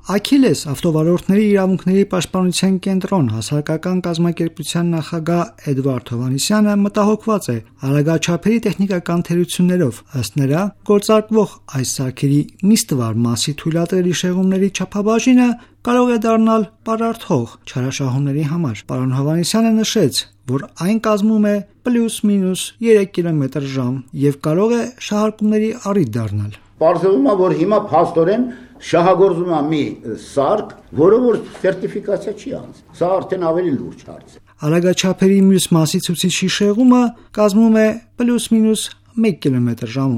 Աքիլես ավտովարորդների իրավունքների պաշտպանության կենտրոն հասարակական կազմակերպության նախագահ Էդվարդ Հովհաննիսյանը մտահոգված է արագաչափերի տեխնիկական թերություններով, ըստ նրա, գործարկվող այս սարքերի միստվար մասի թույլատրելի շեղումների չափաբաժինը կարող է դառնալ պարարթող չարաշահումների համար։ Պարոն Հովհաննիսյանը նշեց, որ այն կազմում է պլյուս-մինուս 3 կմ/ժ եւ կարող է շահարկումների առիթ դառնալ։ Պարզվում է, որ հիմա փաստորեն շահագործում է մի սարք, որը որ սերտիֆիկացիա չի անցել։ Սա արդեն ավելի լուրջ հարց է։ Արագաչափերի մյուս մասի ցուցիչի շեղումը կազմում է պլյուս-մինուս 1 կմ/ժ,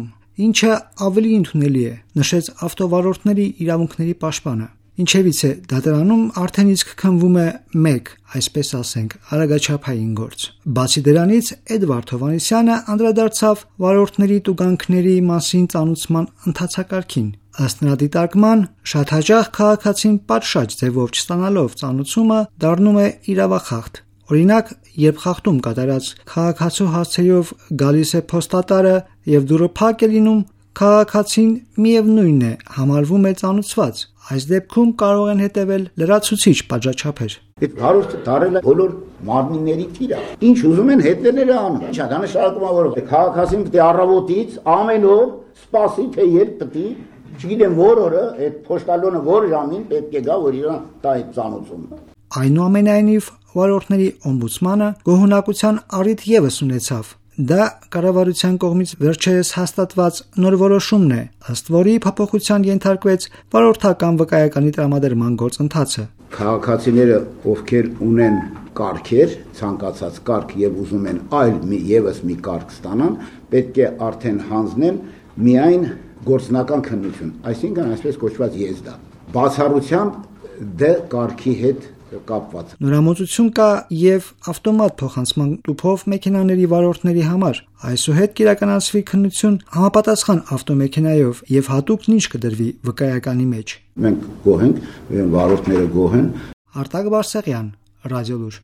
ինչը ավելի ընդունելի է, նշեց ավտովարորդների իրավունքների պաշտպանը։ Ինչևից է դատարանում արդեն իսկ քննվում է 1, այսպես ասենք, արագաչափային գործ։ Բացի դրանից Էդվարդ Հովհաննիսյանը անդրադարձավ վարորդների տուգանքների մասին ծանուցման ընթացակարգին։ Ըստ նրա դիտարկման, շատ հաճախ քաղաքացին պատշաճ ձևով չստանալով ծանուցումը դառնում է իրավախախտ։ Օրինակ, երբ խախտում կատարած քաղաքացու հասցեով գալիս է փոստատարը եւ դուռը փակ է լինում, քաղաքացին միևնույնն է համարվում է ծանուցված։ Այս դեպքում կարող են հետևել լրացուցիչ պատժաչափեր։ Այդ հարուստը դարել է բոլոր մարմինների թիրա։ Ինչ ուզում են հետևելը անում։ Ինչա դա նշանակում է, որ քաղաքացին պետք է առավոտից ամեն օր սպասի, թե երբ պետք է, չգիտեմ որ օրը, այդ փոստալոնը որ ժամին պետք է գա, որ իրան տա այդ ծանուցումը։ Այնուամենայնիվ, վարորդների օմբուդսմանը գոհունակության առիթ ևս ունեցավ։ Դա կառավարության կողմից վերջերս հաստատված նոր որոշումն է, ըստ որի փոփոխության ենթարկվեց վարորդական վկայականի տրամադրման գործընթացը։ Քաղաքացիները, ովքեր ունեն կարգեր, ցանկացած կարգ եւ ուզում են այլ եւս մի կարգ ստանան, պետք է արդեն հանձնեն միայն գործնական քննություն, այսինքն այսպես կոչված եզդա։ Բացառությամբ դե կարգի հետ կապված։ Նորամուծություն կա եւ ավտոմատ փոխանցման տուփով մեքենաների վարորդների համար։ Այսուհետ կիրականացվի քննություն համապատասխան ավտոմեքենայով եւ հատուկ նինջ կդրվի վկայականի մեջ։ Մենք գոհ ենք, վարորդները գոհ են։ Արտակ Բարսեղյան, Ռադիոլուր։